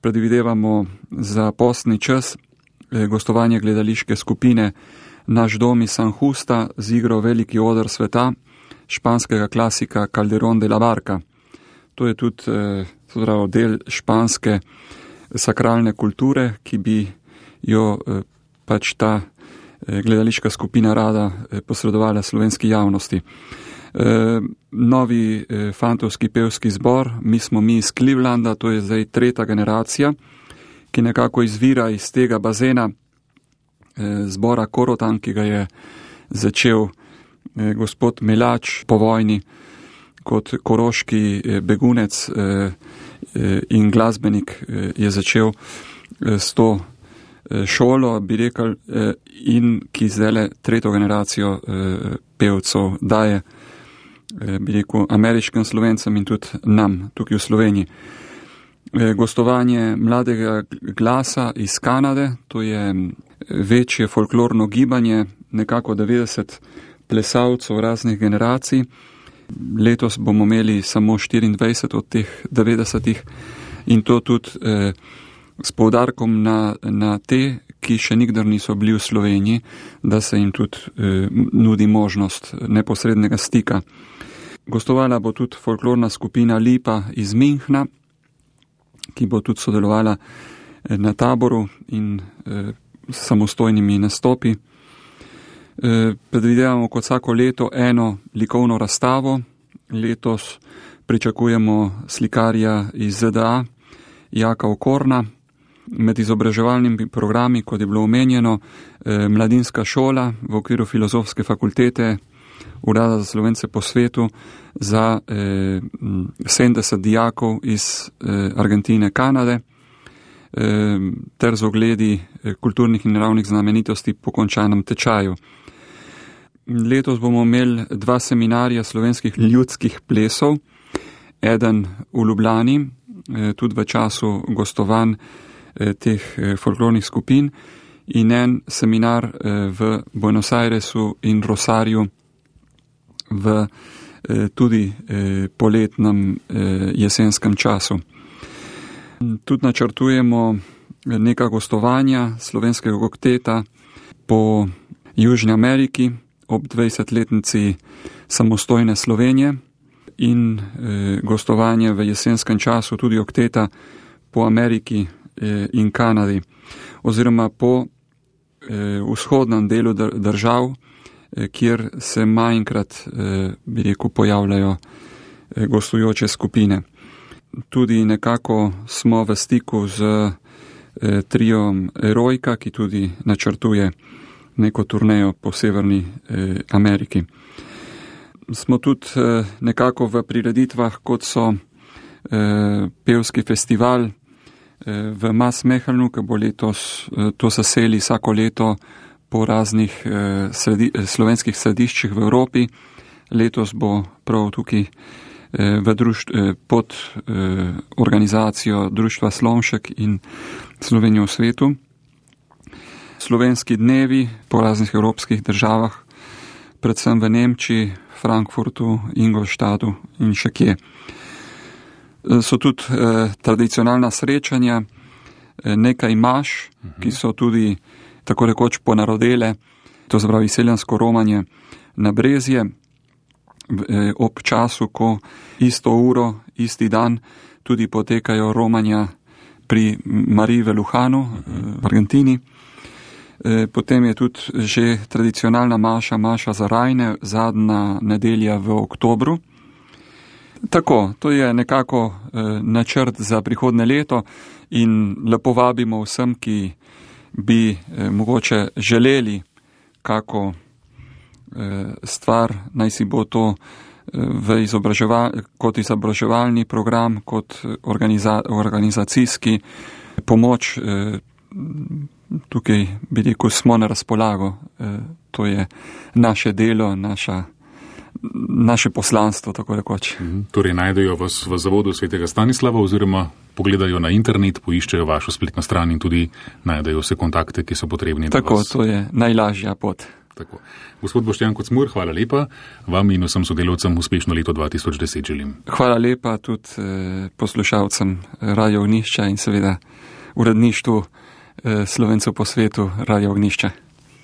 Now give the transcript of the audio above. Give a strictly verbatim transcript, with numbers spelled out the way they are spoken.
predvidevamo za postni čas gostovanje gledališke skupine Naš dom iz San Justa z igro Veliki oder sveta španskega klasika Calderón de la Barca. To je tudi eh, del španske sakralne kulture, ki bi jo eh, pač ta eh, gledališka skupina rada eh, posredovala slovenski javnosti. Eh, novi eh, fantovski pevski zbor, mi smo mi iz Clevelanda, to je zdaj tretja generacija, ki nekako izvira iz tega bazena eh, zbora Korotan, ki ga je začel eh, gospod Melač po vojni kot koroški eh, begunec eh, eh, in glasbenik eh, je začel eh, s to eh, šolo, bi rekel, eh, in ki zdaj tretjo generacijo eh, pevcev daje, eh, bi rekel, ameriškim Slovencem in tudi nam tukaj v Sloveniji. Gostovanje mladega glasa iz Kanade, to je večje folklorno gibanje, nekako devetdeset plesalcev raznih generacij. Letos bomo imeli samo štiriindvajset od teh devetdesetih in to tudi eh, s poudarkom na, na te, ki še nikdar niso bili v Sloveniji, da se jim tudi eh, nudi možnost neposrednega stika. Gostovala bo tudi folklorna skupina Lipa iz Minhna, ki bo tudi sodelovala na taboru in eh, samostojnimi nastopi. Eh, predvidevamo kot vsako leto eno likovno razstavo. Letos pričakujemo slikarja iz Z D A, Jaka Okorna. Med izobraževalnimi programi, kot je bilo omenjeno, eh, mladinska šola v okviru Filozofske fakultete Urada za Slovence po svetu za eh, sedemdeset dijakov iz eh, Argentine, Kanade, eh, ter z ogledi eh, kulturnih in naravnih znamenitosti po končanem tečaju. Letos bomo imeli dva seminarja slovenskih ljudskih plesov, eden v Ljubljani, eh, tudi v času gostovanj eh, teh eh, folklornih skupin, in en seminar eh, v Buenos Airesu in Rosarju v eh, tudi eh, poletnem eh, jesenskem času. Tudi načrtujemo neka gostovanja slovenskega kokteta po Južni Ameriki ob dvajsetletnici samostojne Slovenije in eh, gostovanje v jesenskem času tudi kokteta po Ameriki eh, in Kanadi oziroma po eh, vzhodnem delu držav, kjer se manjkrat, bi rekel, pojavljajo gostujoče skupine. Tudi nekako smo v stiku z triom Erojka, ki tudi načrtuje neko turnejo po Severni Ameriki. Smo tudi nekako v prireditvah, kot so pevski festival v Maasmechelnu, ki bo letos, to se seli vsako leto po raznih eh, sredi, slovenskih središčih v Evropi. Letos bo prav tukaj eh, v društv, eh, pod eh, organizacijo Društva Slomšek in Slovenijo v svetu. Slovenski dnevi po raznih evropskih državah, predvsem v Nemčiji, Frankfurtu, Ingolstadtu in še kje. So tudi eh, tradicionalna srečanja, eh, nekaj maš, uh-huh. ki so tudi tako rekoč ponarodele, to se pravi seljansko romanje na Brezje, ob času, ko isto uro, isti dan tudi potekajo romanja pri Mariji v Luhanu, v Argentini. Potem je tudi že tradicionalna maša, maša za rajne, zadnja nedelja v oktobru. Tako, to je nekako načrt za prihodne leto in lepo vabimo vsem, ki bi eh, mogoče želeli kako eh, stvar, naj si bo to eh, v izobraževal, kot izobraževalni program, kot organiza, organizacijski pomoč, eh, tukaj bi rekel, smo na razpolago. Eh, to je naše delo, naša, naše poslanstvo, tako rekoč. Mhm. Torej najdejo vas v Zavodu svetega Stanislava oziroma pogledajo na internet, poiščejo vašo spletno stran in tudi najdejo vse kontakte, ki so potrebni. Tako, to je najlažja pot. Tako. Gospod Boštjan Kocmur, hvala lepa. Vam in vsem sodelavcem uspešno leto dva tisoč deset želim. Hvala lepa tudi eh, poslušalcem Radio Ognjišča in seveda uredništvu eh, Slovencev po svetu Radio Ognjišča.